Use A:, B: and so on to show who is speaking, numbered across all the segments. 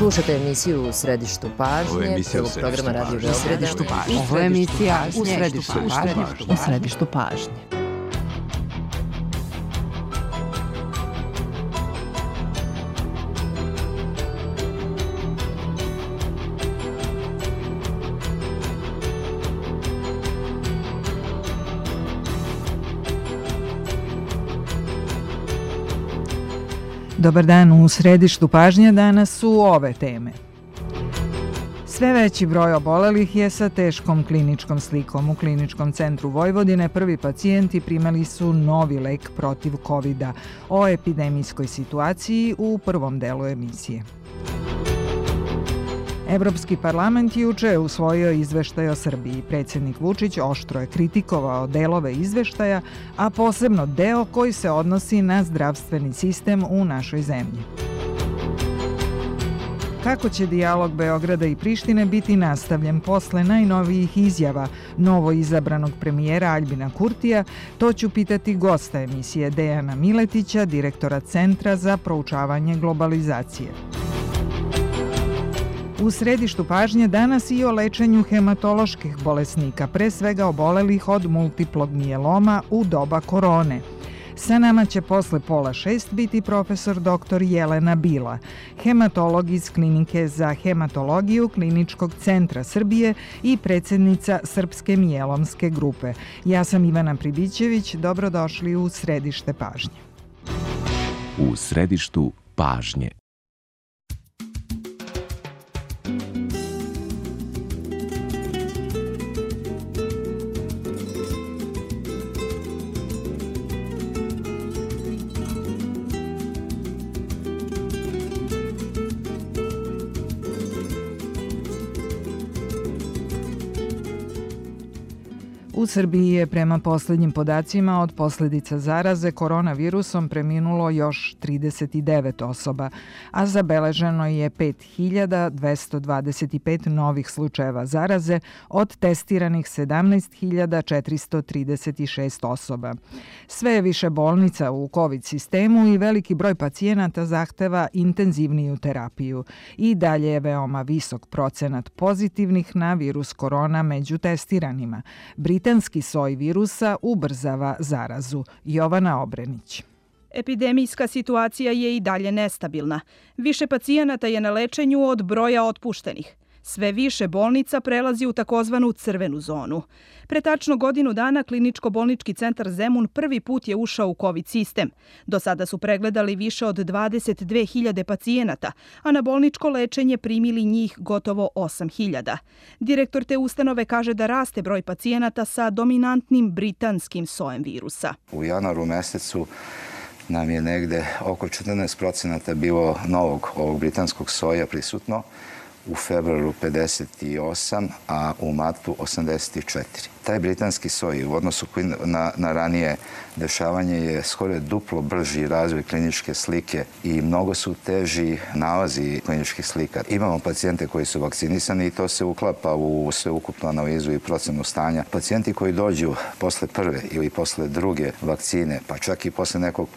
A: Slušate emisiju U središtu pažnje, prvog programa Radio Beograda.
B: Ovo je emisija U središtu pažnje. Dobar dan, u središtu pažnje danas su ove teme. Sve veći broj obolelih je sa teškom kliničkom slikom. U Kliničkom centru Vojvodine prvi pacijenti primali su novi lek protiv COVID-a. O epidemijskoj situaciji u prvom delu emisije. Evropski parlament juče je usvojio izveštaj o Srbiji. Predsjednik Vučić oštro je kritikovao delove izveštaja, a posebno deo koji se odnosi na zdravstveni sistem u našoj zemlji. Kako će dijalog Beograda i Prištine biti nastavljen posle najnovijih izjava novo izabranog premijera Aljbina Kurtija, to ću pitati gosta emisije Dejana Miletića, direktora Centra za proučavanje globalizacije. U središtu pažnje danas i o lečenju hematoloških bolesnika, pre svega obolelih od multiplog mijeloma u doba korone. Sa nama će posle 5:30 biti profesor dr. Jelena Bila, hematolog iz Klinike za hematologiju Kliničkog centra Srbije i predsjednica Srpske mijelomske grupe. Ja sam Ivana Pribićević, dobrodošli u središte pažnje.
C: U središtu pažnje.
B: U Srbiji je prema posljednjim podacima od posljedica zaraze koronavirusom preminulo još 39 osoba, a zabeleženo je 5225 novih slučajeva zaraze od testiranih 17436 osoba. Sve je više bolnica u COVID sistemu i veliki broj pacijenata zahteva intenzivniju terapiju. I dalje je veoma visok procenat pozitivnih na virus korona među testiranima. Britanski soj virusa ubrzava zarazu. Jovana Obrenić.
D: Epidemijska situacija je i dalje nestabilna. Više pacijenata je na lečenju od broja otpuštenih. Sve više bolnica prelazi u takozvanu crvenu zonu. Pre tačno godinu dana Kliničko-bolnički centar Zemun prvi put je ušao u COVID sistem. Do sada su pregledali više od 22.000 pacijenata, a na bolničko lečenje primili njih gotovo 8.000. Direktor te ustanove kaže da raste broj pacijenata sa dominantnim britanskim sojem virusa.
E: U januaru mesecu nam je negde oko 14% bilo novog ovog britanskog soja prisutno, u februaru 58, a u martu 84. Taj britanski soj u odnosu na ranije dešavanje je skoro duplo brži razvoj kliničke slike i mnogo su teži nalazi kliničkih slika. Imamo pacijente koji su vakcinisani i to se uklapa u sveukupnu analizu i procenu stanja. Pacijenti koji dođu posle prve ili posle druge vakcine, pa čak i posle nekog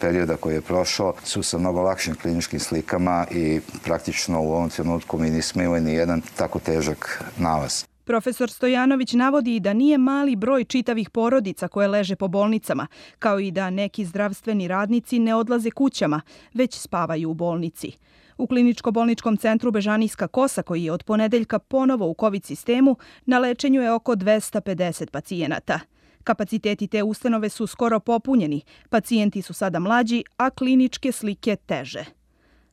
E: perioda koji je prošao, su sa mnogo lakšim kliničkim slikama i praktično u ovom trenutku mi nismo imali ni jedan tako težak nalaz.
D: Profesor Stojanović navodi da nije mali broj čitavih porodica koje leže po bolnicama, kao i da neki zdravstveni radnici ne odlaze kućama, već spavaju u bolnici. U Kliničko-bolničkom centru Bežanijska Kosa, koji je od ponedeljka ponovo u COVID sistemu, na lečenju je oko 250 pacijenata. Kapaciteti te ustanove su skoro popunjeni, pacijenti su sada mlađi, a kliničke slike teže.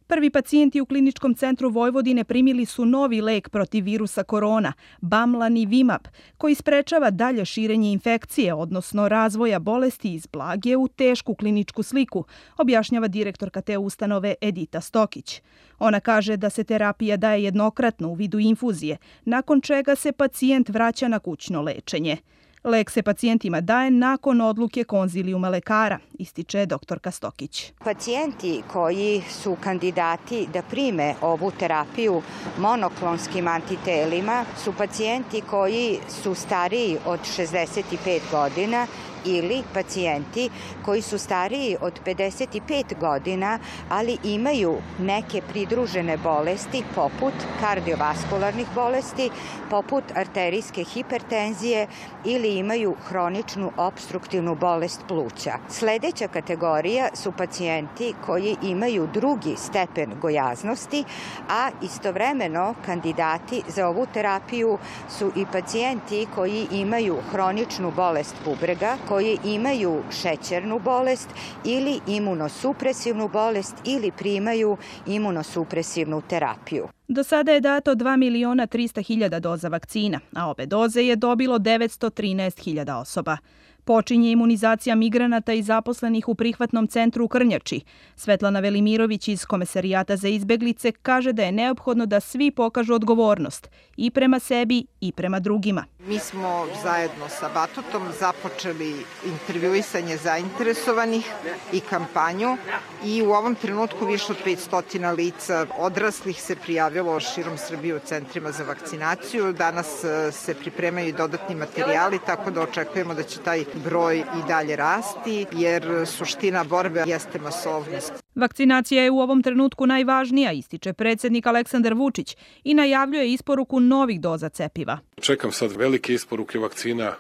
D: Prvi pacijenti u Kliničkom centru Vojvodine primili su novi lek protiv virusa korona, Bamlanivimab, koji sprečava dalje širenje infekcije, odnosno razvoja bolesti iz blage u tešku kliničku sliku, objašnjava direktorka te ustanove Edita Stokić. Ona kaže da se terapija daje jednokratno u vidu infuzije, nakon čega se pacijent vraća na kućno lečenje. Lek se pacijentima daje nakon odluke konzilijuma lekara, ističe doktorka Stokić.
F: Pacijenti koji su kandidati da prime ovu terapiju monoklonskim antitelima su pacijenti koji su stariji od 65 godina ili pacijenti koji su stariji od 55 godina, ali imaju neke pridružene bolesti poput kardiovaskularnih bolesti, poput arterijske hipertenzije ili imaju hroničnu opstruktivnu bolest pluća. Sledeća kategorija su pacijenti koji imaju drugi stepen gojaznosti, a istovremeno kandidati za ovu terapiju su i pacijenti koji imaju hroničnu bolest bubrega, koji imaju šećernu bolest ili imunosupresivnu bolest ili primaju imunosupresivnu terapiju.
D: Do sada je dato 2.300.000 doza vakcina, a ove doze je dobilo 913.000 osoba. Počinje imunizacija migranata i zaposlenih u prihvatnom centru u Krnjači. Svetlana Velimirović iz Komesarijata za izbeglice kaže da je neophodno da svi pokažu odgovornost i prema sebi i prema drugima.
G: Mi smo zajedno sa Batutom započeli intervjuisanje zainteresovanih i kampanju i u ovom trenutku više od 500 lica odraslih se prijavilo širom Srbije u centrima za vakcinaciju. Danas se pripremaju i dodatni materijali, tako da očekujemo da će taj broj i dalje rasti, jer suština borbe jeste masovnost.
D: Vakcinacija je u ovom trenutku najvažnija, ističe predsjednik Aleksandar Vučić i najavljuje isporuku novih doza cepiva.
H: Čekam sad velike isporuke vakcina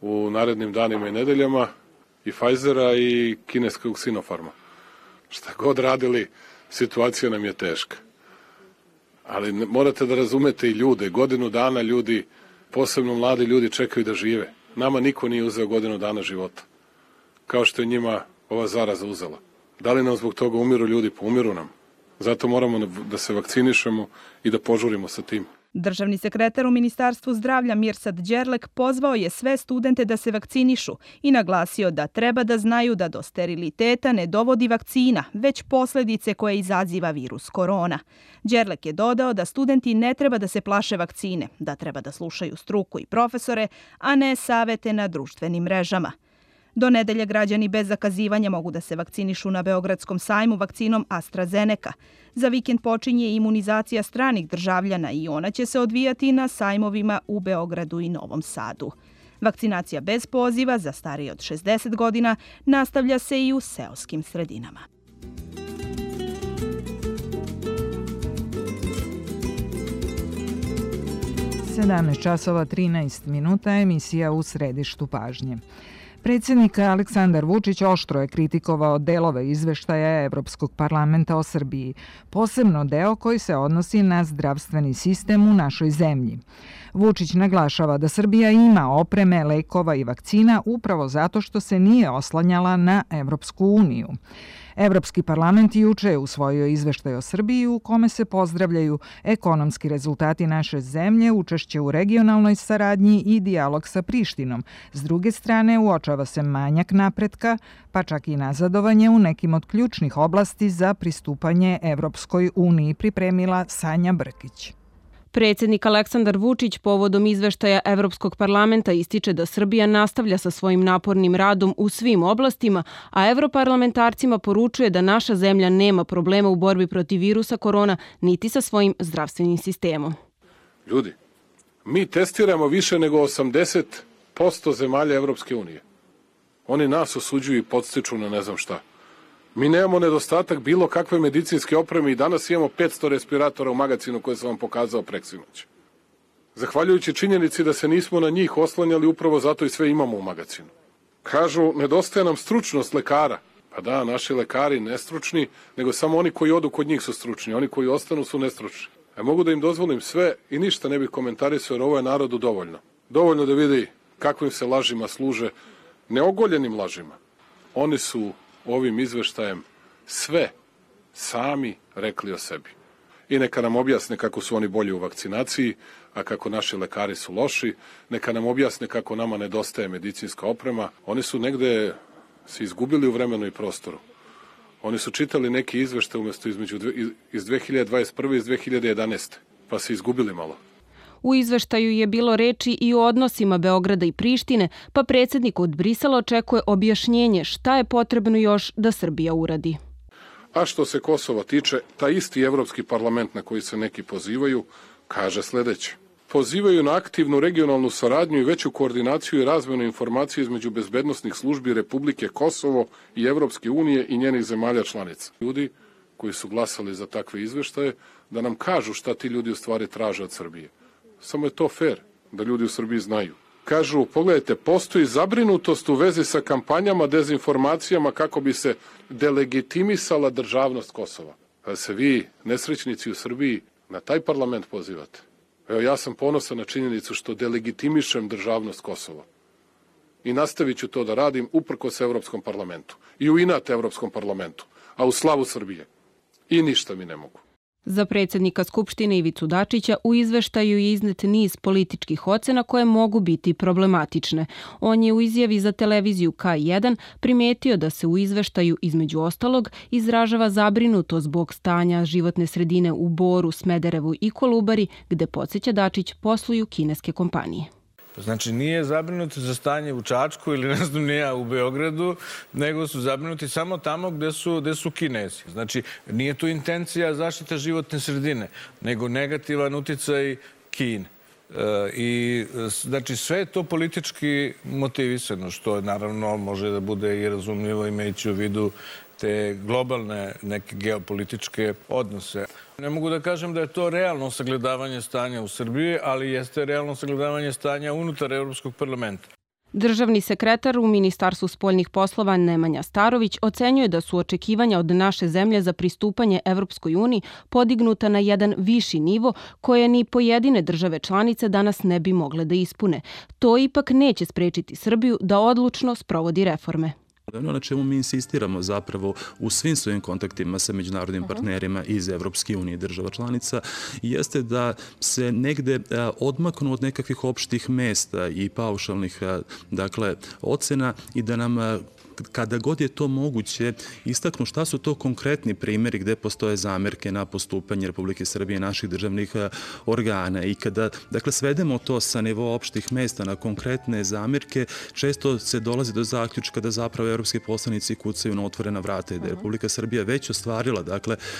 H: u narednim danima i nedeljama, i Pfizera i kineskog Sinopharma. Šta god radili, situacija nam je teška. Ali morate da razumete i ljude. Godinu dana ljudi, posebno mladi ljudi, čekaju da žive. Nama niko nije uzeo godinu dana života, kao što je njima ova zaraza uzela. Da li nam zbog toga umiru ljudi? Pa umiru nam. Zato moramo da se vakcinišemo i da požurimo sa tim.
D: Državni sekretar u Ministarstvu zdravlja Mirsad Đerlek pozvao je sve studente da se vakcinišu i naglasio da treba da znaju da do steriliteta ne dovodi vakcina, već posljedice koje izaziva virus korona. Đerlek je dodao da studenti ne treba da se plaše vakcine, da treba da slušaju struku i profesore, a ne savete na društvenim mrežama. Do nedelje građani bez zakazivanja mogu da se vakcinišu na Beogradskom sajmu vakcinom AstraZeneca. Za vikend počinje imunizacija stranih državljana i ona će se odvijati na sajmovima u Beogradu i Novom Sadu. Vakcinacija bez poziva za starije od 60 godina nastavlja se i u seoskim sredinama.
B: časova 13 minuta, emisija U središtu pažnje. Predsjednik Aleksandar Vučić oštro je kritikovao delove izveštaja Evropskog parlamenta o Srbiji, posebno deo koji se odnosi na zdravstveni sistem u našoj zemlji. Vučić naglašava da Srbija ima opreme, lekova i vakcina upravo zato što se nije oslanjala na Evropsku uniju. Evropski parlament juče je usvojio izveštaj o Srbiji u kome se pozdravljaju ekonomski rezultati naše zemlje, učešće u regionalnoj saradnji i dijalog sa Prištinom. S druge strane, uočava se manjak napretka, pa čak i nazadovanje u nekim od ključnih oblasti za pristupanje Evropskoj uniji, pripremila Sanja Brkić.
I: Predsjednik Aleksandar Vučić povodom izveštaja Evropskog parlamenta ističe da Srbija nastavlja sa svojim napornim radom u svim oblastima, a evroparlamentarcima poručuje da naša zemlja nema problema u borbi protiv virusa korona niti sa svojim zdravstvenim sistemom.
H: Ljudi, mi testiramo više nego 80% zemalja Evropske unije. Oni nas osuđuju i podstiču na ne znam šta. Mi nemamo nedostatak bilo kakve medicinske opreme i danas imamo 500 respiratora u magazinu koje sam vam pokazao preksinoć. Zahvaljujući činjenici da se nismo na njih oslanjali, upravo zato i sve imamo u magazinu. Kažu, nedostaje nam stručnost lekara. Pa da, naši lekari nestručni, nego samo oni koji odu kod njih su stručni, oni koji ostanu su nestručni. Mogu da im dozvolim sve i ništa ne bih komentarisao, jer ovo je narodu dovoljno. Dovoljno da vidi kakvim se lažima služe, neogoljenim lažima. Oni su ovim izveštajem sve sami rekli o sebi. I neka nam objasne kako su oni bolji u vakcinaciji, a kako naši lekari su loši. Neka nam objasne kako nama nedostaje medicinska oprema. Oni su negde se izgubili u vremenu i prostoru. Oni su čitali neki izveštaj umjesto iz 2021. i iz 2011. Pa se izgubili malo.
I: U izveštaju je bilo reči i o odnosima Beograda i Prištine, pa predsjednik od Brisela očekuje objašnjenje šta je potrebno još da Srbija uradi.
H: A što se Kosova tiče, taj isti Evropski parlament na koji se neki pozivaju kaže sljedeće. pozivaju na aktivnu regionalnu saradnju i veću koordinaciju i razmenu informacija između bezbednosnih službi Republike Kosovo i Evropske unije i njenih zemalja članica. Ljudi koji su glasali za takve izveštaje, da nam kažu šta ti ljudi u stvari traže od Srbije. Samo je to fair da ljudi u Srbiji znaju. Kažu, pogledajte, postoji zabrinutost u vezi sa kampanjama, dezinformacijama kako bi se delegitimisala državnost Kosova. Da se vi, nesrećnici u Srbiji, na taj parlament pozivate. Evo, ja sam ponosan na činjenicu što delegitimišem državnost Kosova. I nastavit ću to da radim uprkos Evropskom parlamentu. I u inat Evropskom parlamentu. A u slavu Srbije. I ništa mi ne mogu.
I: Za predsjednika Skupštine Ivicu Dačića u izveštaju je iznet niz političkih ocena koje mogu biti problematične. On je u izjavi za televiziju K1 primetio da se u izveštaju između ostalog izražava zabrinutost zbog stanja životne sredine u Boru, Smederevu i Kolubari, gde, podsjeća Dačić, posluju kineske kompanije.
J: Znači, nije zabrinuti za stanje u Čačku ili ne znam nija u Beogradu, nego su zabrinuti samo tamo gde su Kinezi. Znači, nije tu intencija zaštita životne sredine, nego negativan uticaj Kine. I znači sve je to politički motivisano, što naravno može da bude i razumljivo imajući u vidu te globalne neke geopolitičke odnose. Ne mogu da kažem da je to realno sagledavanje stanja u Srbiji, ali jeste realno sagledavanje stanja unutar Evropskog parlamenta.
I: Državni sekretar u Ministarstvu spoljnih poslova Nemanja Starović ocenjuje da su očekivanja od naše zemlje za pristupanje Evropskoj uniji podignuta na jedan viši nivo koje ni pojedine države članice danas ne bi mogle da ispune. To ipak neće sprečiti Srbiju da odlučno sprovodi reforme.
K: Ono na čemu mi insistiramo zapravo u svim svojim kontaktima sa međunarodnim partnerima iz Evropske unije i država članica jeste da se negde odmaknu od nekakvih opštih mesta i paušalnih ocena i da nam kada god je to moguće istaknu šta su to konkretni primjeri gde postoje zamerke na postupanje Republike Srbije i naših državnih organa. I kada svedemo to sa nivoa opštih mesta na konkretne zamerke, često se dolazi do zaključka da zapravo evropski poslanici kucaju na otvorena vrata i da je Republika Srbija već ostvarila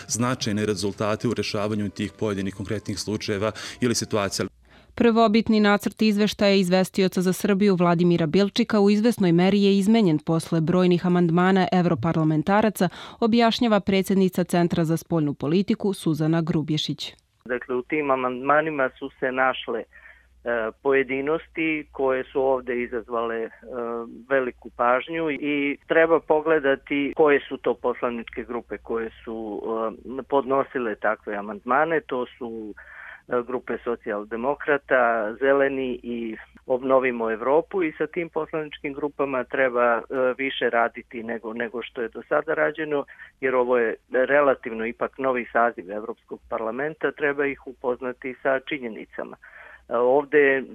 K: značajne rezultate u rešavanju tih pojedinih konkretnih slučajeva ili situacija.
I: Prvobitni nacrt izveštaja izvestioca za Srbiju Vladimira Bilčika u izvesnoj meri je izmenjen posle brojnih amandmana evroparlamentaraca, objašnjava predsjednica Centra za spoljnu politiku Suzana Grubješić.
L: Dakle, u tim amandmanima su se našle pojedinosti koje su ovde izazvale veliku pažnju i treba pogledati koje su to poslaničke grupe koje su podnosile takve amandmane. To su grupe socijaldemokrata, Zeleni i Obnovimo Evropu i sa tim poslaničkim grupama treba više raditi nego što je do sada rađeno, jer ovo je relativno ipak novi saziv Evropskog parlamenta, treba ih upoznati sa činjenicama. Ovde je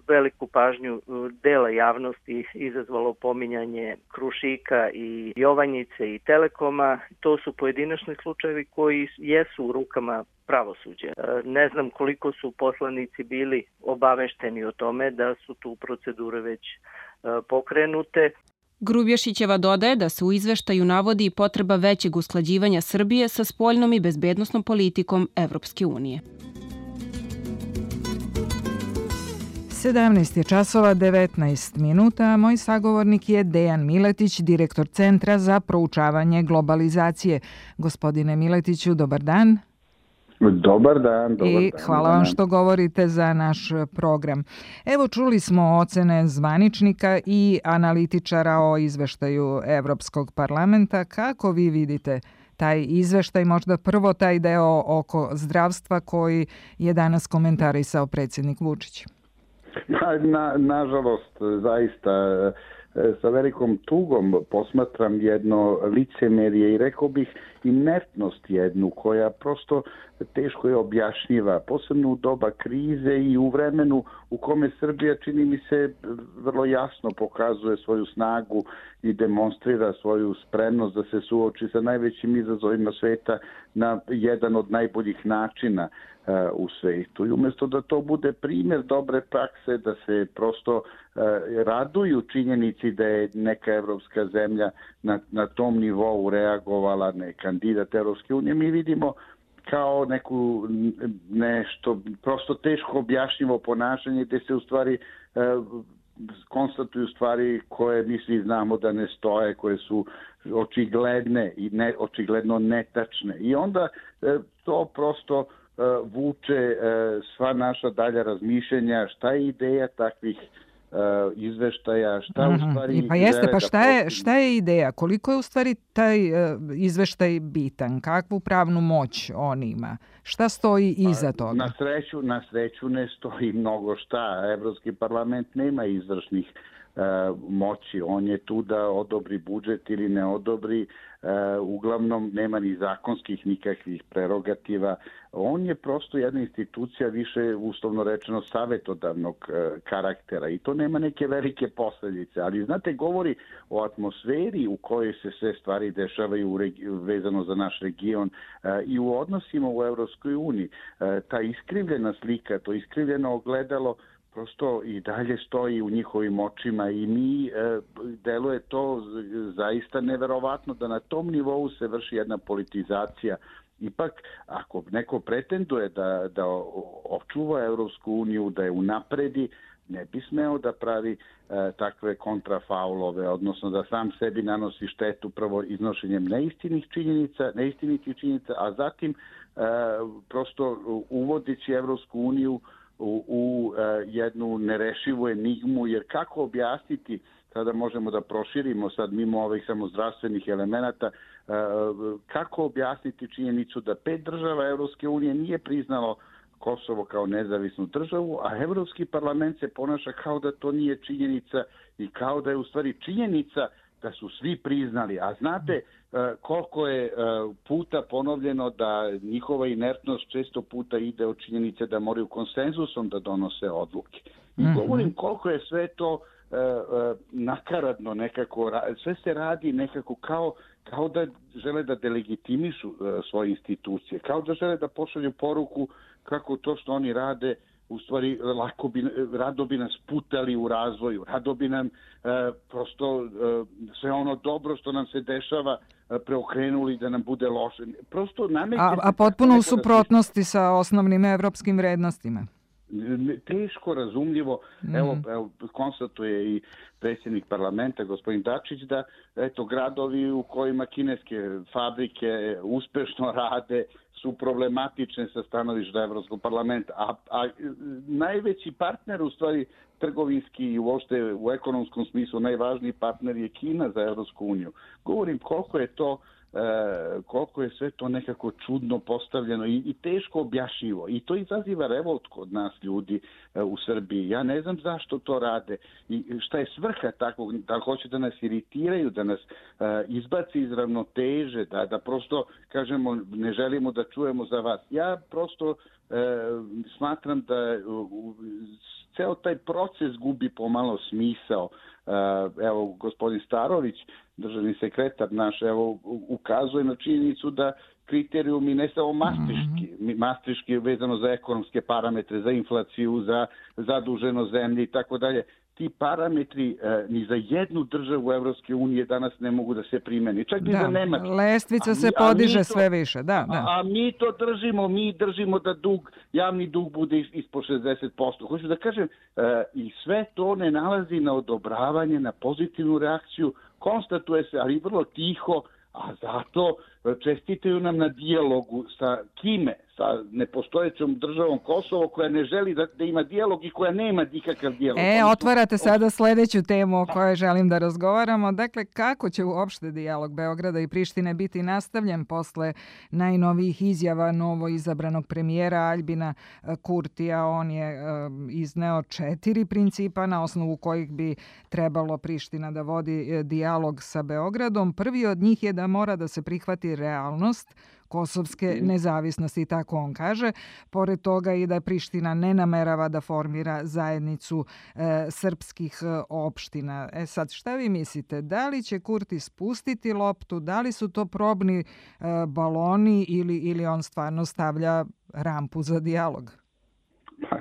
L: veliku pažnju dela javnosti izazvalo pominjanje Krušika i Jovanjice i Telekoma. To su pojedinačni slučajevi koji jesu u rukama pravosuđa. Ne znam koliko su poslanici bili obavešteni o tome da su tu procedure već pokrenute.
I: Grubješićeva dodaje da se u izveštaju navodi i potreba većeg usklađivanja Srbije sa spoljnom i bezbednosnom politikom Evropske unije.
B: 17 je časova 19 minuta. Moj sagovornik je Dejan Miletić, direktor Centra za proučavanje globalizacije. Gospodine Miletiću, dobar dan.
M: Dobar dan.
B: I hvala vam što govorite za naš program. Evo, čuli smo ocene zvaničnika i analitičara o izveštaju Evropskog parlamenta. Kako vi vidite taj izveštaj, možda prvo taj deo oko zdravstva koji je danas komentarisao predsjednik Vučić?
M: Nažalost, zaista sa velikom tugom posmatram jedno licemerje i rekao bih inertnost jednu koja prosto teško je objašnjiva, posebno u doba krize i u vremenu u kome Srbija, čini mi se, vrlo jasno pokazuje svoju snagu i demonstrira svoju spremnost da se suoči sa najvećim izazovima sveta na jedan od najboljih načina u svetu. I umjesto da to bude primjer dobre prakse, da se prosto raduju činjenici da je neka evropska zemlja na tom nivou reagovala, ne kandidat Evropske unije, mi vidimo kao nešto prosto teško objašnjivo ponašanje gde se u stvari konstatuju stvari koje mi svi znamo da ne stoje, koje su očigledne i očigledno netačne. I onda to prosto vuče sva naša dalja razmišljenja, šta je ideja takvih izveštaja, šta u stvari
B: pa jeste, pa
M: žele
B: šta je ideja? Koliko je u stvari taj izveštaj bitan? Kakvu pravnu moć on ima? Šta stoji iza toga?
M: Na sreću ne stoji mnogo šta. Evropski parlament nema izvršnih moći. On je tu da odobri budžet ili ne odobri. Uglavnom nema ni zakonskih nikakvih prerogativa. On je prosto jedna institucija više, uslovno rečeno, savetodavnog karaktera i to nema neke velike posljedice. Ali, znate, govori o atmosferi u kojoj se sve stvari dešavaju vezano za naš region i u odnosima u Evropskoj uniji. Ta iskrivljena slika, to iskrivljeno ogledalo prosto i dalje stoji u njihovim očima i mi deluje to zaista neverovatno da na tom nivou se vrši jedna politizacija. Ipak, ako neko pretenduje da očuva Evropsku uniju, da je unapredi, ne bi smeo da pravi takve kontrafaulove, odnosno da sam sebi nanosi štetu prvo iznošenjem neistinitih činjenica, a zatim prosto uvodići Evropsku uniju u jednu nerešivu enigmu, jer kako objasniti, sada možemo da proširimo sad mimo ovih samo zdravstvenih elemenata, kako objasniti činjenicu da 5 država Evropske unije nije priznalo Kosovo kao nezavisnu državu, a Evropski parlament se ponaša kao da to nije činjenica i kao da je u stvari činjenica da su svi priznali. A znate koliko je puta ponovljeno da njihova inertnost često puta ide od činjenice da moraju konsenzusom da donose odluke. I govorim koliko je sve to nakaradno nekako, sve se radi nekako kao da žele da delegitimišu svoje institucije, kao da žele da pošalju poruku kako to što oni rade u stvari rado bi nas putali u razvoju, rado bi nam prosto sve ono dobro što nam se dešava preokrenuli da nam bude loše. Prosto
B: a potpuno u suprotnosti sa osnovnim evropskim vrednostima.
M: Teško razumljivo. Evo konstatuje i predsjednik parlamenta gospodin Dačić da gradovi u kojima kineske fabrike uspešno rade su problematične sa stanovišta Evropskog parlamenta, a najveći partner u stvari trgovinski i uopšte u ekonomskom smislu najvažniji partner je Kina za Evropsku uniju. Govorim koliko je sve to nekako čudno postavljeno i teško objašnjivo. I to izaziva revolt kod nas ljudi u Srbiji. Ja ne znam zašto to rade i šta je svrha takvog, da hoće da nas iritiraju, da nas izbaci iz ravnoteže, da prosto kažemo ne želimo da čujemo za vas. Ja prosto smatram da ceo taj proces gubi pomalo smisao. Evo, gospodin Starović, državni sekretar naš, evo, ukazuje na činjenicu da kriterijumi ne samo mastriški vezano za ekonomske parametre, za inflaciju, za zaduženost zemlje i tako dalje, ti parametri ni za jednu državu Evropske unije danas ne mogu da se primeni. Čak i za Nemačku.
B: Lestvica se podiže sve više, da.
M: A mi to držimo da javni dug bude ispod 60%. Hoću da kažem, i sve to ne nalazi na odobravanje, na pozitivnu reakciju, konstatuje se, ali vrlo tiho, a zato čestitaju nam na dijalogu sa kime? Sa nepostojećom državom Kosovo koja ne želi da ima dijalog i koja nema nikakav dijalog.
B: Otvarate sada sledeću temu o kojoj želim da razgovaramo. Dakle, kako će uopšte dijalog Beograda i Prištine biti nastavljen posle najnovijih izjava novo izabranog premijera Aljbina Kurtija? On je izneo 4 principa na osnovu kojih bi trebalo Priština da vodi dijalog sa Beogradom. Prvi od njih je da mora da se prihvati realnost kosovske nezavisnosti, tako on kaže. Pored toga i da Priština ne namerava da formira zajednicu srpskih opština. Sad, šta vi mislite? Da li će Kurti spustiti loptu? Da li su to probni baloni ili on stvarno stavlja rampu za dijalog?
M: Pa,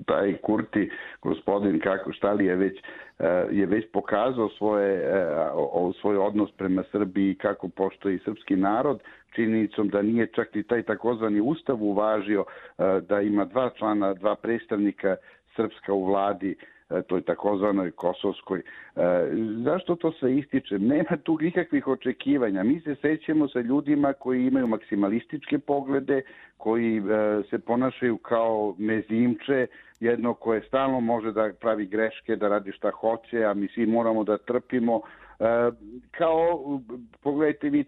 M: taj Kurti, gospodin Štali je već pokazao svoj odnos prema Srbiji, kako poštuje i srpski narod, činjenicom da nije čak i taj takozvani ustav uvažio da ima 2 člana, 2 predstavnika srpska u vladi, toj takozvanoj kosovskoj. Zašto to sve ističe? Nema tu nikakvih očekivanja. Mi se sećamo sa ljudima koji imaju maksimalističke poglede, koji se ponašaju kao mezimče, jedno koje stalno može da pravi greške, da radi šta hoće, a mi svi moramo da trpimo. Pogledajte vi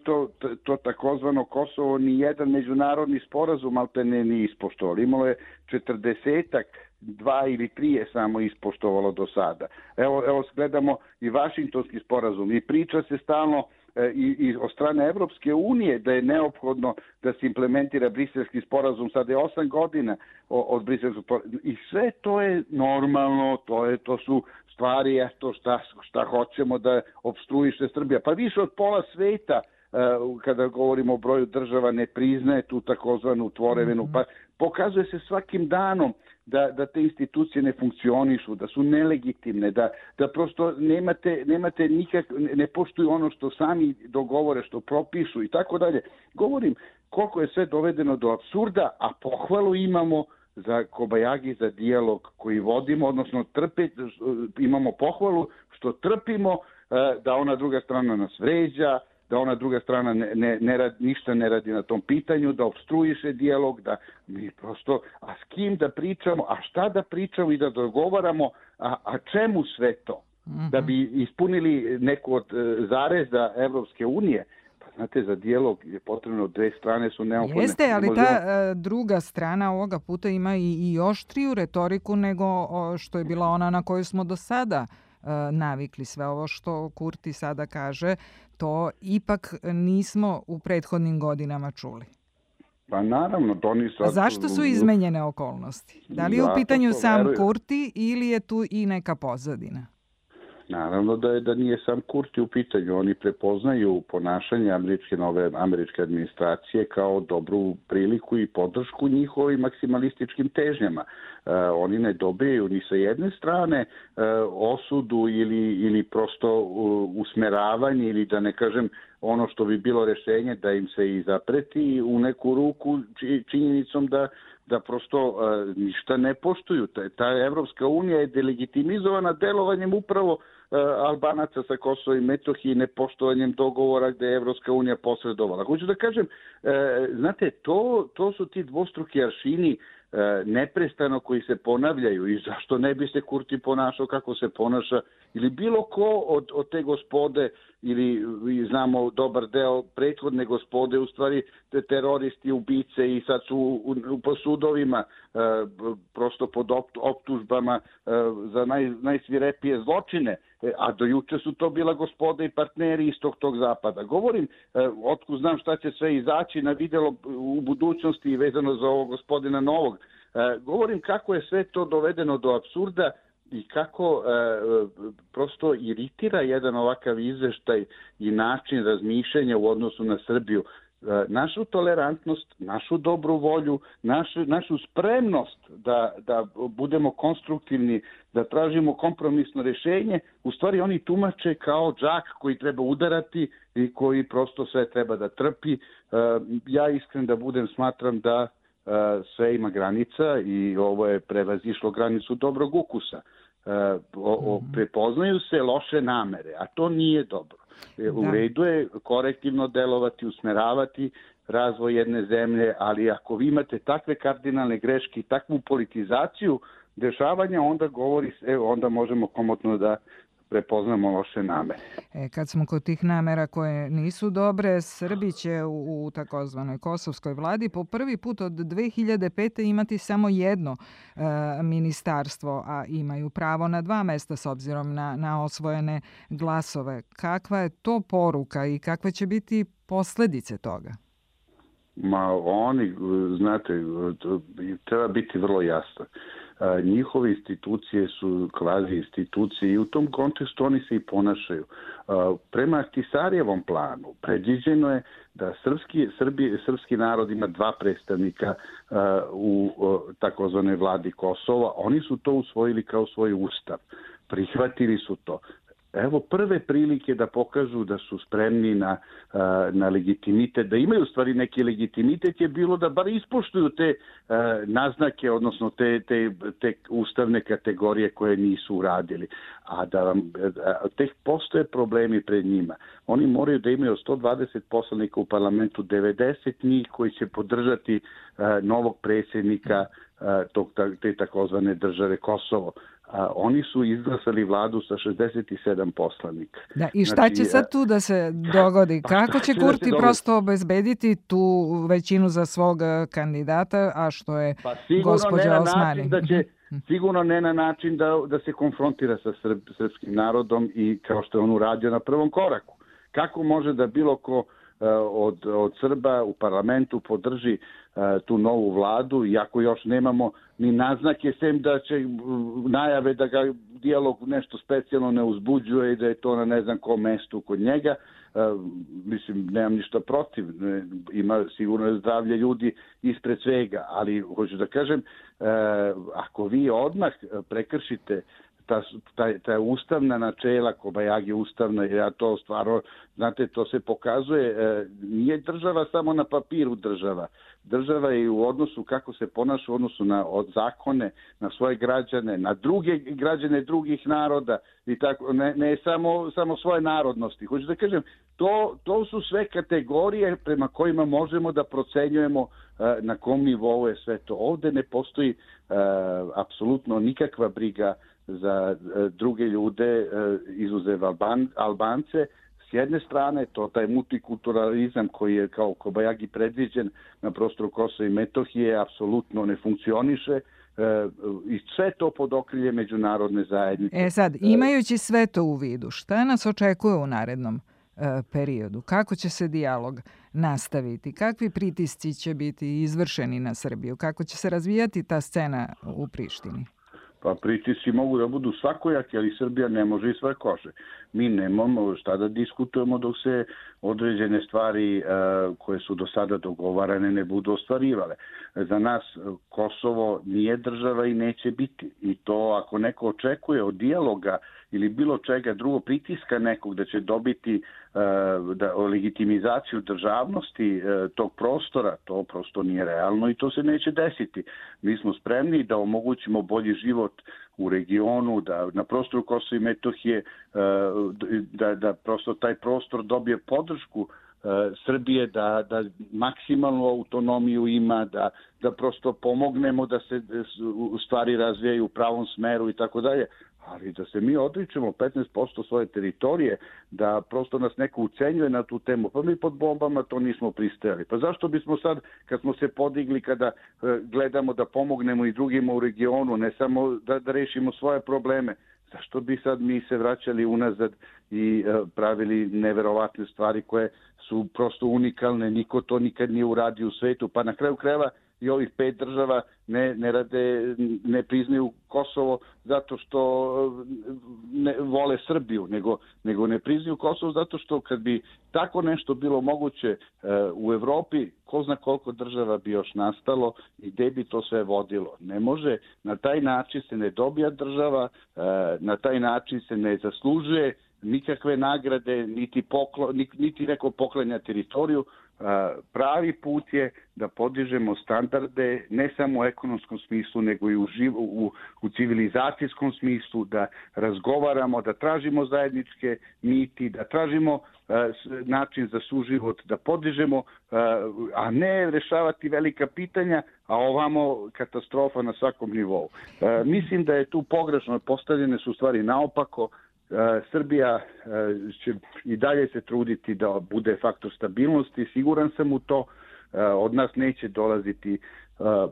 M: to takozvano Kosovo, ni jedan međunarodni sporazum maltene nije ispoštovalo. Imalo je 40-ak, 2 ili 3 je samo ispoštovalo do sada. Evo gledamo i Vašingtonski sporazum i priča se stalno i od strane Evropske unije da je neophodno da se implementira Briselski sporazum. Sada je 8 godina od Briselskog sporazuma i sve to je normalno, to su stvari, šta hoćemo da opstruiše Srbija. Pa više od pola sveta, kada govorimo o broju država, ne priznaje tu takozvanu tvorevinu. Pa pokazuje se svakim danom da te institucije ne funkcionišu, da su nelegitimne, da prosto nemate ne poštuju ono što sami dogovore, što propišu i tako dalje. Govorim koliko je sve dovedeno do apsurda, a pohvalu imamo za Kobajagi, za dijalog koji vodimo, odnosno imamo pohvalu što trpimo da ona druga strana nas vređa, da ona druga strana ništa ne radi na tom pitanju, da opstruiše dijalog, da mi prosto, a s kim da pričamo, a šta da pričamo i da dogovaramo, a čemu sve to? Da bi ispunili neku od zareza Evropske unije. Pa znate, za dijalog je potrebno 2 strane su neophodne.
B: Jeste, ali ta druga strana ovoga puta ima i oštriju retoriku nego što je bila ona na koju smo do sada navikli. Sve ovo što Kurti sada kaže, to ipak nismo u prethodnim godinama čuli.
M: Pa naravno,
B: zašto su izmenjene okolnosti? Da li je u pitanju sam Kurti ili je tu i neka pozadina?
M: Naravno da nije sam Kurti u pitanju. Oni prepoznaju ponašanje američke administracije kao dobru priliku i podršku njihovim maksimalističkim težnjama. Oni ne dobijaju ni sa jedne strane osudu ili prosto usmeravanje ili da ne kažem ono što bi bilo rešenje da im se i zapreti u neku ruku činjenicom da prosto ništa ne poštuju. Ta Evropska unija je delegitimizovana delovanjem upravo Albanaca sa Kosova i Metohije, nepoštovanjem dogovora gde je Evropska unija posredovala. Hoću da kažem, znate, to su ti dvostruki aršini neprestano koji se ponavljaju i zašto ne bi se Kurti ponašao kako se ponaša ili bilo ko od te gospode ili znamo dobar deo prethodne gospode, u stvari teroristi, ubice i sad su po sudovima prosto pod optužbama za najsvirepije zločine, a do juče su to bila gospoda i partneri istog tog zapada. Govorim, otkud znam šta će sve izaći na videlo u budućnosti vezano za ovog gospodina Novog. Govorim kako je sve to dovedeno do apsurda i kako prosto iritira jedan ovakav izveštaj i način razmišljanja u odnosu na Srbiju. Našu tolerantnost, našu dobru volju, našu spremnost da budemo konstruktivni, da tražimo kompromisno rješenje, u stvari oni tumače kao džak koji treba udarati i koji prosto sve treba da trpi. Ja iskren da budem smatram da sve ima granica i ovo je prevazišlo granicu dobrog ukusa. Prepoznaju se loše namere, a to nije dobro. U redu je korektivno delovati, usmeravati razvoj jedne zemlje, ali ako vi imate takve kardinalne greške i takvu politizaciju dešavanja, onda možemo komotno da prepoznamo loše namere.
B: Kad smo kod tih namera koje nisu dobre, Srbi će u takozvanoj kosovskoj vladi po prvi put od 2005. imati samo jedno ministarstvo, a imaju pravo na 2 mesta s obzirom na osvojene glasove. Kakva je to poruka i kakve će biti posledice toga?
M: Znate, treba biti vrlo jasno. Njihove institucije su kvazi institucije i u tom kontekstu oni se i ponašaju. Prema Ahtisarijevom planu predviđeno je da srpski narod ima 2 predstavnika u takozvanoj vladi Kosova. Oni su to usvojili kao svoj ustav. Prihvatili su to. Evo prve prilike da pokažu da su spremni na legitimitet, da imaju u stvari neki legitimitet je bilo da bar ispoštuju te naznake, odnosno te ustavne kategorije koje nisu uradili. A da tek postoje problemi pred njima. Oni moraju da imaju 120 poslanika u parlamentu, 90 njih koji će podržati novog predsjednika te takozvane države Kosovo. Oni su izglasali vladu sa 67 poslanika.
B: Da, i šta će sad tu da se dogodi? Kako će Kurti prosto obezbediti tu većinu za svog kandidata, a što je gospođa Osmani?
M: Sigurno ne na način da se konfrontira sa srpskim narodom i kao što je on uradio na prvom koraku. Kako može da bilo ko od Srba u parlamentu podrži tu novu vladu, iako još nemamo ni naznake, sem da će najave da ga dijalog nešto specijalno ne uzbuđuje i da je to na ne znam kom mestu kod njega. Mislim, nemam ništa protiv, ima sigurno zdravlje ljudi ispred svega, ali hoću da kažem, ako vi odmah prekršite ta ustavna načela, Kobajagi ustavna, ja to stvarno, znate, to se pokazuje, nije država samo na papiru država. Država je u odnosu kako se ponaša u odnosu na zakone, na svoje građane, na druge građane drugih naroda i tako, ne samo svoje narodnosti. Hoću da kažem, to su sve kategorije prema kojima možemo da procenjujemo na kom nivou je sve to. Ovde ne postoji apsolutno nikakva briga za druge ljude, izuzev Albance. S jedne strane, taj multikulturalizam koji je kao Kobajagi predviđen na prostoru Kosova i Metohije apsolutno ne funkcioniše i sve to pod okrilje međunarodne zajednice.
B: Sad, imajući sve to u vidu, šta nas očekuje u narednom periodu? Kako će se dijalog nastaviti? Kakvi pritisci će biti izvršeni na Srbiju? Kako će se razvijati ta scena u Prištini?
M: Pa pritisci mogu da budu svakojaki, ali Srbija ne može iz svoje kože. Mi nemamo šta da diskutujemo dok se određene stvari koje su do sada dogovarane ne budu ostvarivale. Za nas Kosovo nije država i neće biti. I to ako neko očekuje od dijaloga ili bilo čega drugo, pritiska nekog da će dobiti legitimizaciju državnosti tog prostora, to prosto nije realno i to se neće desiti. Mi smo spremni da omogućimo bolji život u regionu, da na prostoru Kosova i Metohije, da prosto taj prostor dobije podršku Srbije, da maksimalnu autonomiju ima, da prosto pomognemo da se stvari razvijaju u pravom smeru i tako dalje. Ali da se mi odričemo 15% svoje teritorije, da prosto nas neko ucenjuje na tu temu, pa mi pod bombama to nismo pristajali. Pa zašto bismo sad, kad smo se podigli, kada gledamo da pomognemo i drugima u regionu, ne samo da rešimo svoje probleme, zašto bi sad mi se vraćali unazad i pravili neverovatne stvari koje su prosto unikalne, niko to nikad nije uradio u svetu, pa na kraju krajeva i ovih 5 država ne priznaju Kosovo zato što ne vole Srbiju, nego ne priznaju Kosovo zato što kad bi tako nešto bilo moguće u Evropi, ko zna koliko država bi još nastalo i gde bi to sve vodilo. Ne može, na taj način se ne dobija država, na taj način se ne zaslužuje nikakve nagrade, niti neko poklanja teritoriju. Pravi put je da podižemo standarde ne samo u ekonomskom smislu, nego i u civilizacijskom smislu, da razgovaramo, da tražimo zajedničke niti, da tražimo način za suživot, da podižemo, a ne rešavati velika pitanja, a ovamo katastrofa na svakom nivou. Mislim da je tu pogrešno, postavljene su stvari naopako. Srbija će i dalje se truditi da bude faktor stabilnosti, siguran sam u to. Od nas neće dolaziti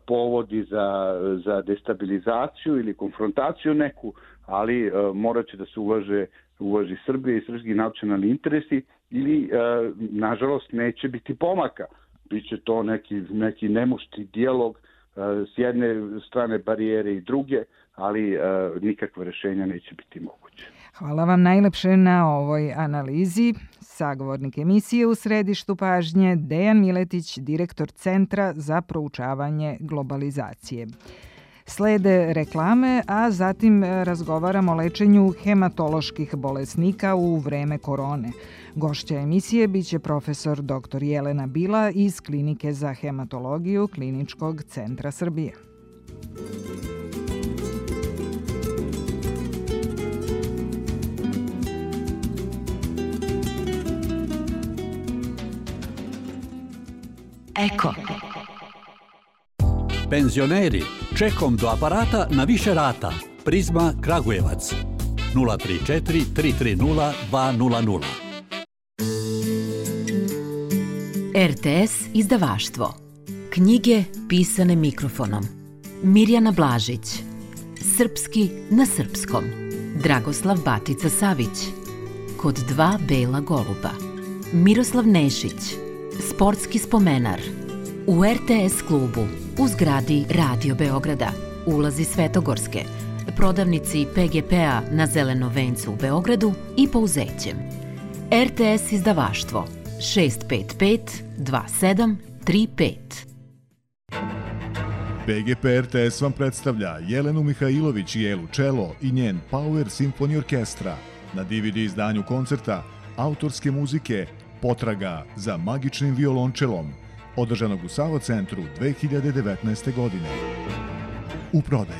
M: povodi za destabilizaciju ili konfrontaciju neku, ali morat će da se uvaži Srbija i srpski nacionalni interesi ili, nažalost, neće biti pomaka. Biće to neki nemušti dijalog s jedne strane barijere i druge, ali nikakve rješenja neće biti moguće.
B: Hvala vam najlepše na ovoj analizi. Sagovornik emisije U središtu pažnje Dejan Miletić, direktor Centra za proučavanje globalizacije. Slede reklame, a zatim razgovaramo o lečenju hematoloških bolesnika u vreme korone. Gošća emisije biće profesor dr. Jelena Bila iz Klinike za hematologiju Kliničkog centra Srbije.
N: Eko. Penzioneri, čekom do aparata na više rata. Prizma Kragujevac. 034 330 200.
O: RTS izdavaštvo. Knjige pisane mikrofonom. Mirjana Blažić. Srpski na srpskom. Dragoslav Batica Savić. Kod dva bela goluba. Miroslav Nešić. Sportski spomenar. U RTS klubu, u zgradi Radio Beograda, ulazi Svetogorske, prodavnici PGP-a na Zelenom vencu u Beogradu i Pouzećem. RTS izdavaštvo 655 2735.
P: PGP RTS vam predstavlja Jelenu Mihajlović i Elu Čelo i njen Power Symphony Orkestra na DVD izdanju koncerta autorske muzike Potraga za magičnim violončelom, održanog u Savo centru 2019. godine. U prodaji.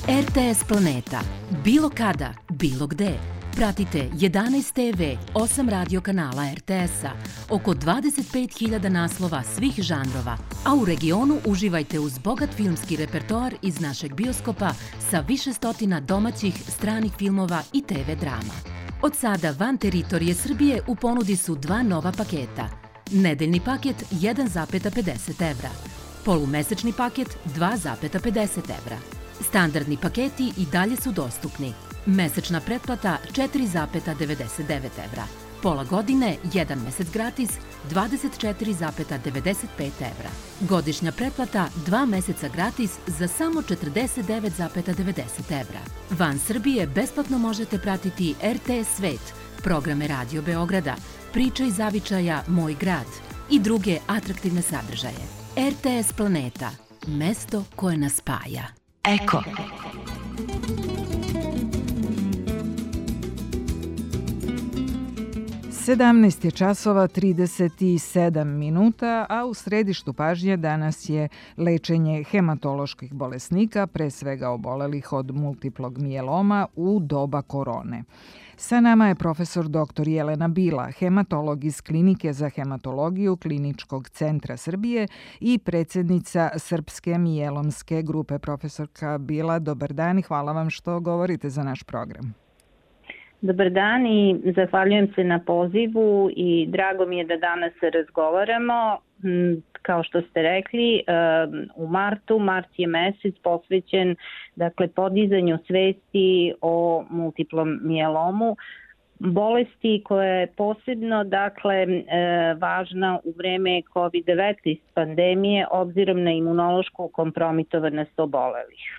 O: RTS Planeta. Bilo kada, bilo gde. Pratite 11 TV, 8 radio kanala RTS-a, oko 25.000 naslova svih žanrova, a u regionu uživajte uz bogat filmski repertoar iz našeg bioskopa sa više stotina domaćih, stranih filmova i TV drama. Od sada van teritorije Srbije u ponudi su dva nova paketa. Nedeljni paket 1,50 evra, polumesečni paket 2,50 evra. Standardni paketi i dalje su dostupni. Mesečna pretplata 4,99 evra. Pola godine, 1 mesec gratis, 24,95 evra. Godišnja pretplata 2 meseca gratis za samo 49,90 evra. Van Srbije besplatno možete pratiti RTS Svet, programe Radio Beograda, Priča iz zavičaja Moj grad i druge atraktivne sadržaje. RTS Planeta, mesto koje nas spaja. Eko.
B: 17 je časova 37 minuta, a u središtu pažnje danas je lečenje hematoloških bolesnika, pre svega obolelih od multiplog mijeloma u doba korone. Sa nama je profesor dr. Jelena Bila, hematolog iz Klinike za hematologiju Kliničkog centra Srbije i predsjednica Srpske mijelomske grupe. Profesorka Bila, dobar dan i hvala vam što govorite za naš program.
Q: Dobar dan i zahvaljujem se na pozivu i drago mi je da danas razgovaramo. Kao što ste rekli, u mart je mesec posvećen podizanju svesti o multiplom mijelomu, bolesti koja je posebno važna u vreme COVID-19 pandemije obzirom na imunološku kompromitovanost obolelih.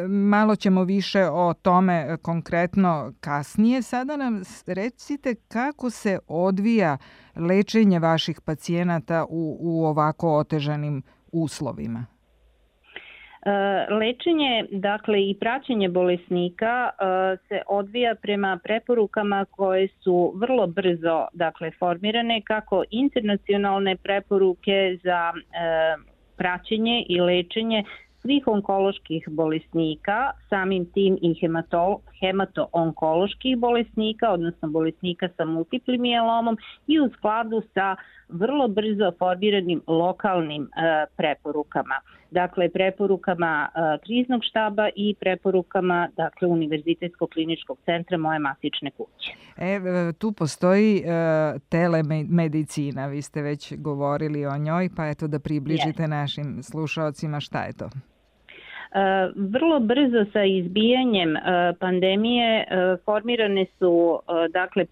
B: Malo ćemo više o tome konkretno kasnije. Sada nam recite kako se odvija lečenje vaših pacijenata u ovako otežanim uslovima.
Q: Lečenje, i praćenje bolesnika se odvija prema preporukama koje su vrlo brzo formirane, kako internacionalne preporuke za praćenje i lečenje svih onkoloških bolesnika, samim tim i hemato-onkoloških bolesnika, odnosno bolesnika sa multiplim mijelomom i u skladu sa vrlo brzo formiranim lokalnim preporukama. Dakle, preporukama kriznog štaba i preporukama Univerzitetskog kliničkog centra Moje matične kuće.
B: Tu postoji telemedicina, vi ste već govorili o njoj, pa eto da približite našim slušaocima šta je to.
Q: Vrlo brzo sa izbijanjem pandemije formirane su dakle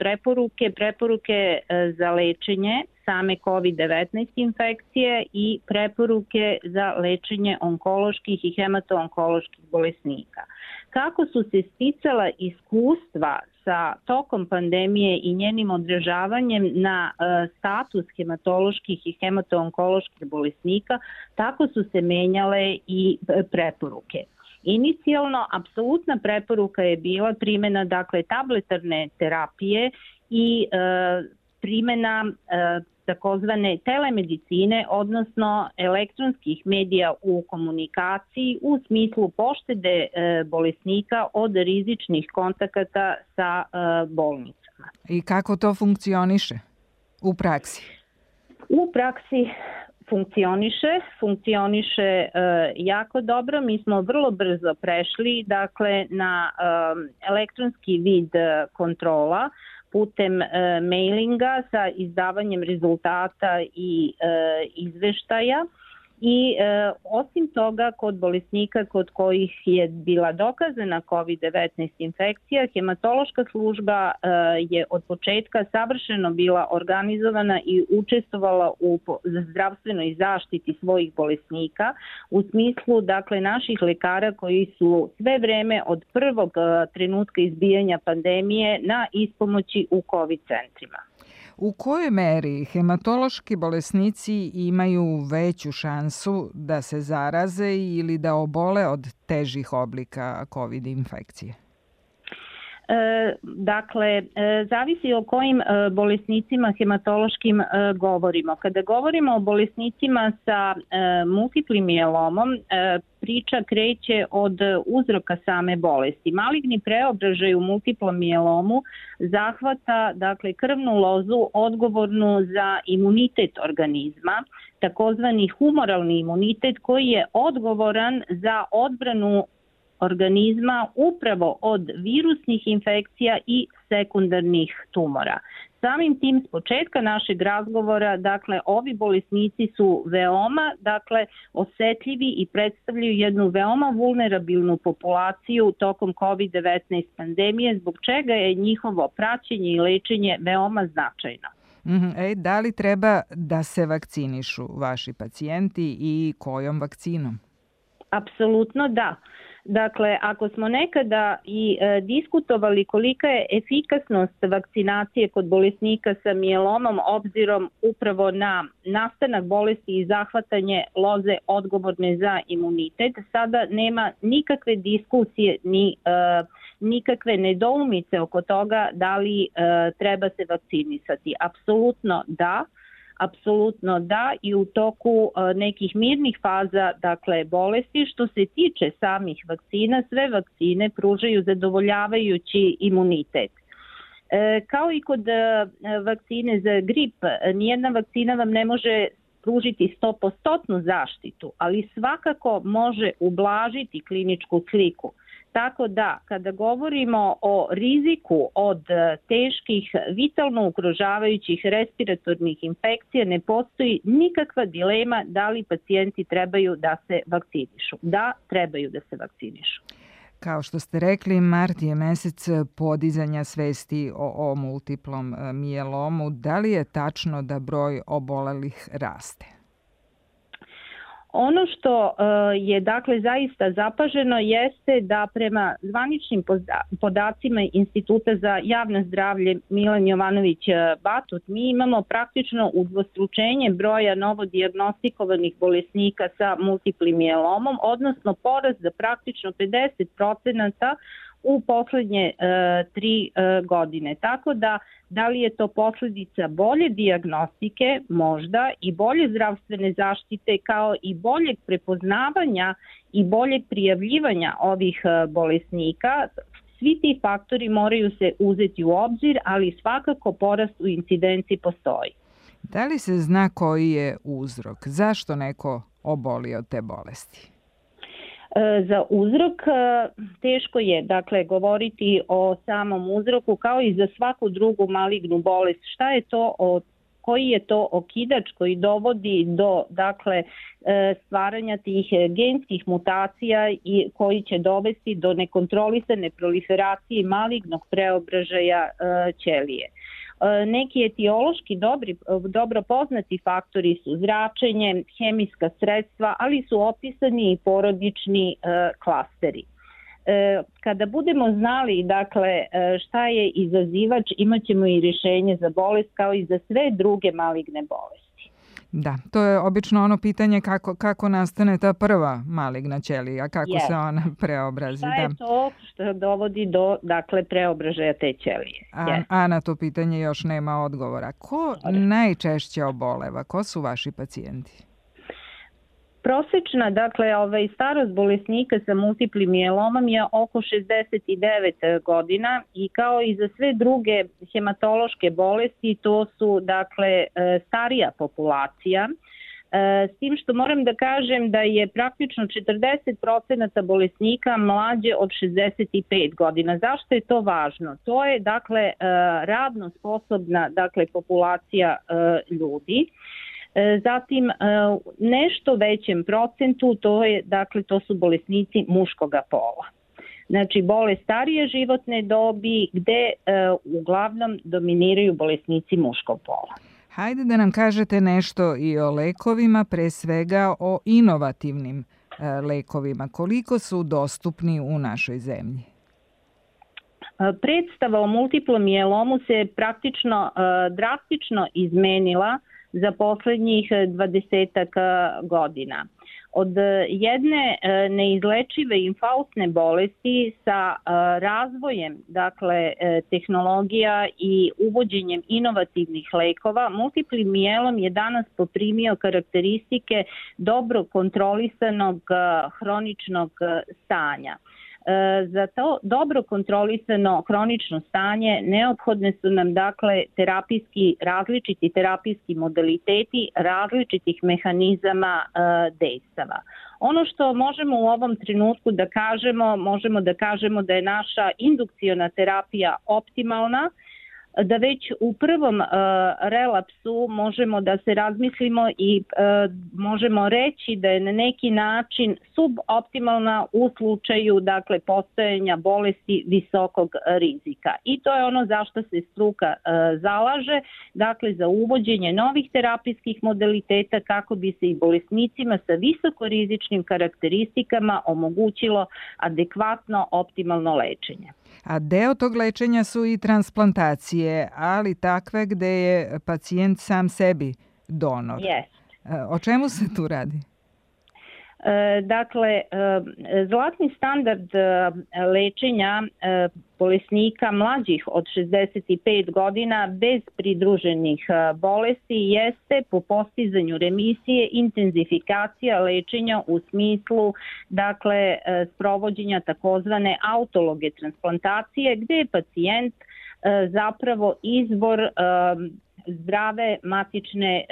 Q: preporuke za lečenje same COVID-19 infekcije i preporuke za lečenje onkoloških i hemato-onkoloških bolesnika. Kako su se sticala iskustva sa tokom pandemije i njenim odražavanjem na status hematoloških i hemato-onkoloških bolesnika, tako su se menjale i preporuke. Inicijalno, apsolutna preporuka je bila primjena dakle tabletarne terapije i primjena takozvane telemedicine, odnosno elektronskih medija u komunikaciji u smislu poštede bolesnika od rizičnih kontakata sa bolnicama.
B: I kako to funkcioniše u praksi?
Q: U praksi funkcioniše jako dobro. Mi smo vrlo brzo prešli dakle na elektronski vid kontrola putem mailinga sa izdavanjem rezultata i izveštaja. I osim toga, kod bolesnika kod kojih je bila dokazana COVID-19 infekcija, hematološka služba je od početka savršeno bila organizovana i učestvovala u zdravstvenoj zaštiti svojih bolesnika u smislu dakle naših lekara koji su sve vreme od prvog trenutka izbijanja pandemije na ispomoći u COVID centrima.
B: U kojoj meri hematološki bolesnici imaju veću šansu da se zaraze ili da obole od težih oblika COVID infekcije?
Q: Dakle, zavisi o kojim bolesnicima hematološkim govorimo. Kada govorimo o bolesnicima sa multiplim mijelomom, priča kreće od uzroka same bolesti. Maligni preobražaj u multiplom mijelomu zahvata dakle krvnu lozu odgovornu za imunitet organizma, takozvani humoralni imunitet koji je odgovoran za odbranu organizma upravo od virusnih infekcija i sekundarnih tumora. Samim tim s početka našeg razgovora, dakle, ovi bolesnici su veoma, osetljivi i predstavljaju jednu veoma vulnerabilnu populaciju tokom COVID-19 pandemije, zbog čega je njihovo praćenje i lečenje veoma značajno.
B: Da li treba da se vakcinišu vaši pacijenti i kojom vakcinom?
Q: Apsolutno da. Dakle, ako smo nekada i diskutovali kolika je efikasnost vakcinacije kod bolesnika sa mijelomom obzirom upravo na nastanak bolesti i zahvatanje loze odgovorne za imunitet, sada nema nikakve diskusije ni nikakve nedoumice oko toga da li treba se vakcinisati. Apsolutno da i u toku nekih mirnih faza bolesti. Što se tiče samih vakcina, sve vakcine pružaju zadovoljavajući imunitet. Kao i kod vakcine za grip, nijedna vakcina vam ne može pružiti 100% zaštitu, ali svakako može ublažiti kliničku sliku. Tako da, kada govorimo o riziku od teških, vitalno ugrožavajućih respiratornih infekcija, ne postoji nikakva dilema da li pacijenti trebaju da se vakcinišu. Da, trebaju da se vakcinišu.
B: Kao što ste rekli, mart je mesec podizanja svesti o multiplom mijelomu. Da li je tačno da broj obolelih raste?
Q: Ono što je zaista zapaženo jeste da prema zvaničnim podacima Instituta za javno zdravlje Milan Jovanović Batut mi imamo praktično udvostručenje broja novodijagnostikovanih bolesnika sa multiplim mijelomom, odnosno porast za praktično 50% u poslednje 3 godine. Tako da li je to posljedica bolje dijagnostike, možda i bolje zdravstvene zaštite kao i boljeg prepoznavanja i boljeg prijavljivanja ovih bolesnika, svi ti faktori moraju se uzeti u obzir, ali svakako porast u incidenciji postoji.
B: Da li se zna koji je uzrok? Zašto neko oboli od te bolesti?
Q: Za uzrok teško je govoriti o samom uzroku kao i za svaku drugu malignu bolest. Šta je to koji je to okidač koji dovodi do dakle stvaranja tih genskih mutacija i koji će dovesti do nekontrolisane proliferacije malignog preobražaja ćelije. Neki etiološki dobro poznati faktori su zračenje, hemijska sredstva, ali su opisani i porodični klasteri. Kada budemo znali dakle šta je izazivač, imaćemo i rješenje za bolest kao i za sve druge maligne bolesti.
B: Da, to je obično ono pitanje kako nastane ta prva maligna ćelija, kako se ona preobrazi.
Q: Šta je to što dovodi do dakle preobražaja te ćelije?
B: A na to pitanje još nema odgovora. Ko najčešće oboleva? Ko su vaši pacijenti?
Q: Prosečna, dakle, starost bolesnika sa multiplim mijelomom je oko 69 godina i kao i za sve druge hematološke bolesti, to su, dakle, starija populacija. S tim što moram da kažem da je praktično 40% bolesnika mlađe od 65 godina. Zašto je to važno? To je, dakle, radno sposobna, dakle, populacija ljudi. Zatim, nešto većem procentu, to su bolesnici muškoga pola. Znači, bolest starije životne dobi gde uglavnom dominiraju bolesnici muškog pola.
B: Hajde da nam kažete nešto i o lekovima, pre svega o inovativnim lekovima. Koliko su dostupni u našoj zemlji?
Q: Predstava o multiplom mijelomu se praktično drastično izmenila za poslednjih 20 godina. Od jedne neizlečive infaustne bolesti sa razvojem dakle, tehnologija i uvođenjem inovativnih lekova, multipli mijelom je danas poprimio karakteristike dobro kontrolisanog hroničnog stanja. Za to dobro kontrolisano hronično stanje neophodne su nam dakle različiti terapijski modaliteti različitih mehanizama dejstava. Ono što možemo u ovom trenutku da kažemo, možemo da kažemo da je naša indukciona terapija optimalna, da već u prvom relapsu možemo da se razmislimo i možemo reći da je na neki način suboptimalna u slučaju dakle, postojanja bolesti visokog rizika. I to je ono zašto se struka zalaže, dakle za uvođenje novih terapijskih modaliteta kako bi se i bolesnicima sa visokorizičnim karakteristikama omogućilo adekvatno optimalno lečenje.
B: A deo tog lečenja su i transplantacije, ali takve gde je pacijent sam sebi donor. O čemu se tu radi?
Q: Dakle, zlatni standard lečenja bolesnika mlađih od 65 godina bez pridruženih bolesti jeste po postizanju remisije intenzifikacija lečenja u smislu dakle sprovođenja takozvane autologe transplantacije gde je pacijent zapravo izvor zdrave matične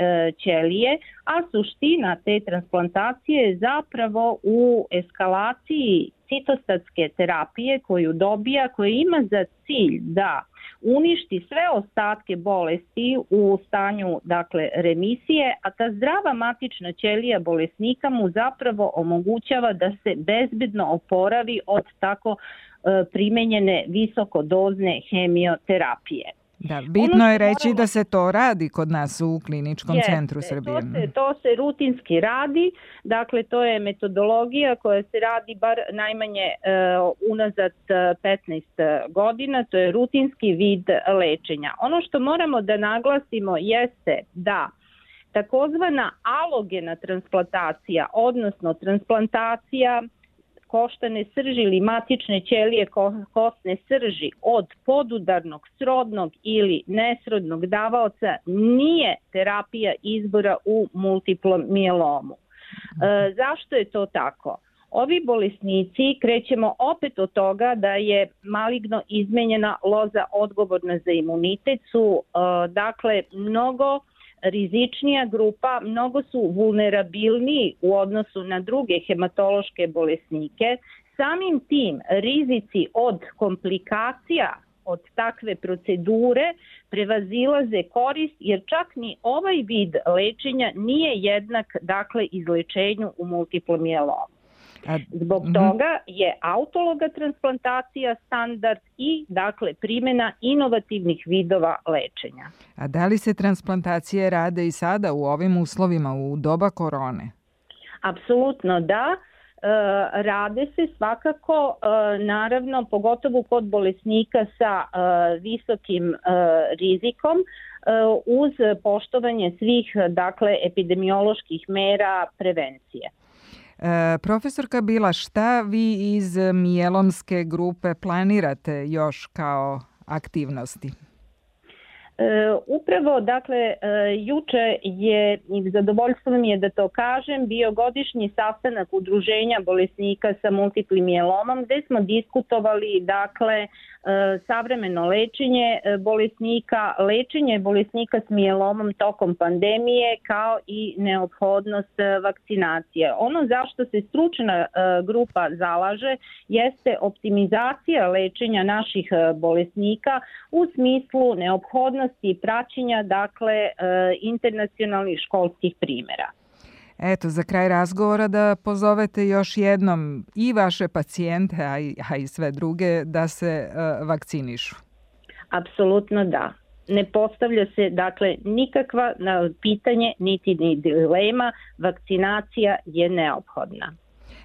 Q: ćelije, a suština te transplantacije je zapravo u eskalaciji citostatske terapije koju dobija, koja ima za cilj da uništi sve ostatke bolesti u stanju dakle remisije, a ta zdrava matična ćelija bolesnika mu zapravo omogućava da se bezbedno oporavi od tako primenjene visokodozne hemioterapije.
B: Da, bitno je reći da se to radi kod nas u Kliničkom centru Srbije.
Q: To se rutinski radi, dakle to je metodologija koja se radi bar najmanje unazad 15 godina, to je rutinski vid lečenja. Ono što moramo da naglasimo jeste da takozvana alogena transplantacija, odnosno transplantacija koštane srži ili matične ćelije kostne srži od podudarnog, srodnog ili nesrodnog davaoca nije terapija izbora u multiplom mijelomu. Zašto je to tako? Ovi bolesnici, krećemo opet od toga da je maligno izmenjena loza odgovorna za imunitet, su dakle mnogo rizičnija grupa, mnogo su vulnerabilniji u odnosu na druge hematološke bolesnike. Samim tim rizici od komplikacija od takve procedure prevazilaze korist, jer čak ni ovaj vid lečenja nije jednak, dakle, izlečenju u multiplom mijelomu. Zbog toga je autologa transplantacija standard i, dakle, primjena inovativnih vidova lečenja.
B: A da li se transplantacije rade i sada u ovim uslovima, u doba korone?
Q: Apsolutno da. Rade se svakako, naravno, pogotovo kod bolesnika sa visokim rizikom, uz poštovanje svih, dakle, epidemioloških mera prevencije.
B: Profesorka Bila, šta vi iz mijelomske grupe planirate još kao aktivnosti?
Q: Upravo, dakle, juče je, i zadovoljstvo mi je da to kažem, bio godišnji sastanak udruženja bolesnika sa multiplim mijelomom, gde smo diskutovali, dakle, savremeno lečenje bolesnika s mijelomom tokom pandemije, kao i neophodnost vakcinacije. Ono zašto se stručna grupa zalaže jeste optimizacija lečenja naših bolesnika u smislu neophodnosti praćenja, dakle, internacionalnih školskih primjera.
B: Eto, za kraj razgovora da pozovete još jednom i vaše pacijente, a i sve druge, da se vakcinišu.
Q: Apsolutno da. Ne postavlja se, dakle, nikakva pitanje, niti dilema, vakcinacija je neophodna.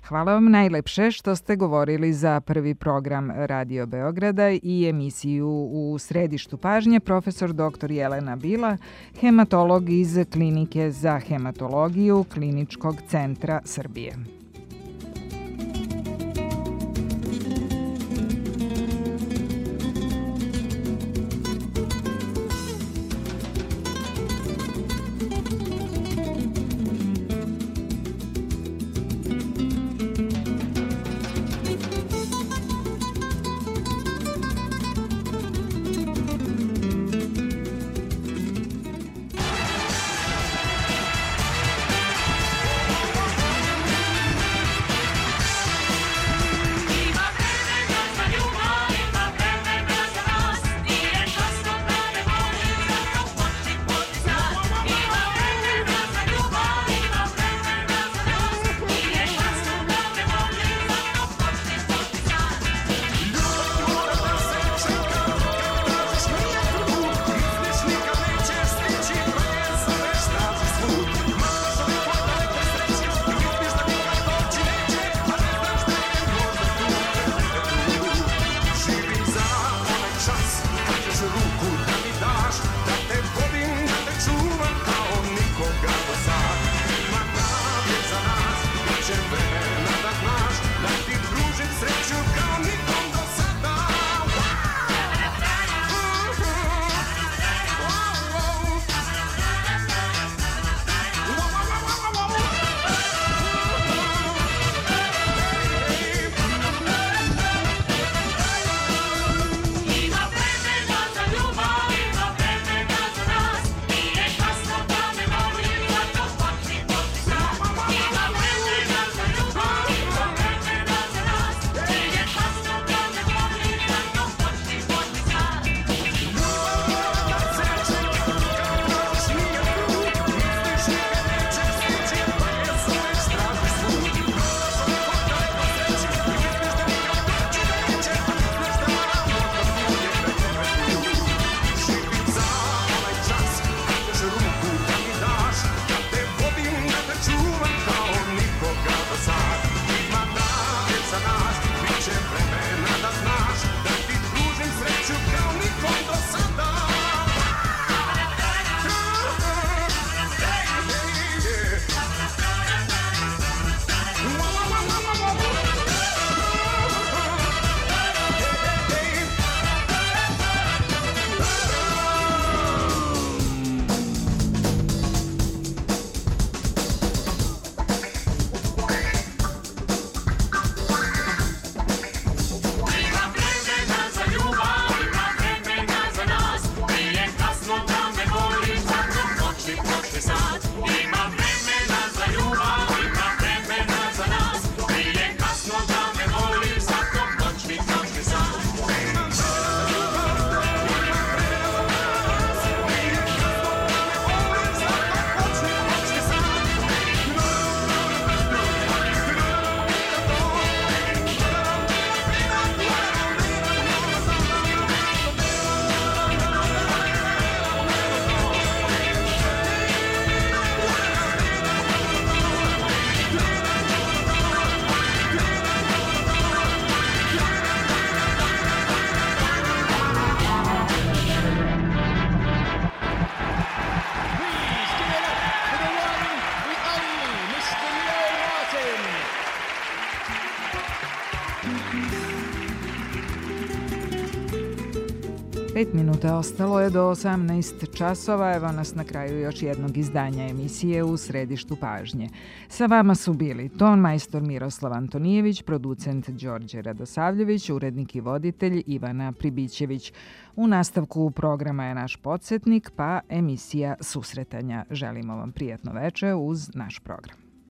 B: Hvala vam najlepše što ste govorili za prvi program Radio Beograda i emisiju U središtu pažnje, profesor dr. Jelena Bila, hematolog iz Klinike za hematologiju Kliničkog centra Srbije. 5 minuta ostalo je do 18 časova. Evo nas na kraju još jednog izdanja emisije U središtu pažnje. Sa vama su bili ton majstor Miroslav Antonijević, producent Đorđe Radosavljević, urednik i voditelj Ivana Pribićević. U nastavku programa je naš podsjetnik, pa emisija susretanja. Želimo vam prijatno veče uz naš program.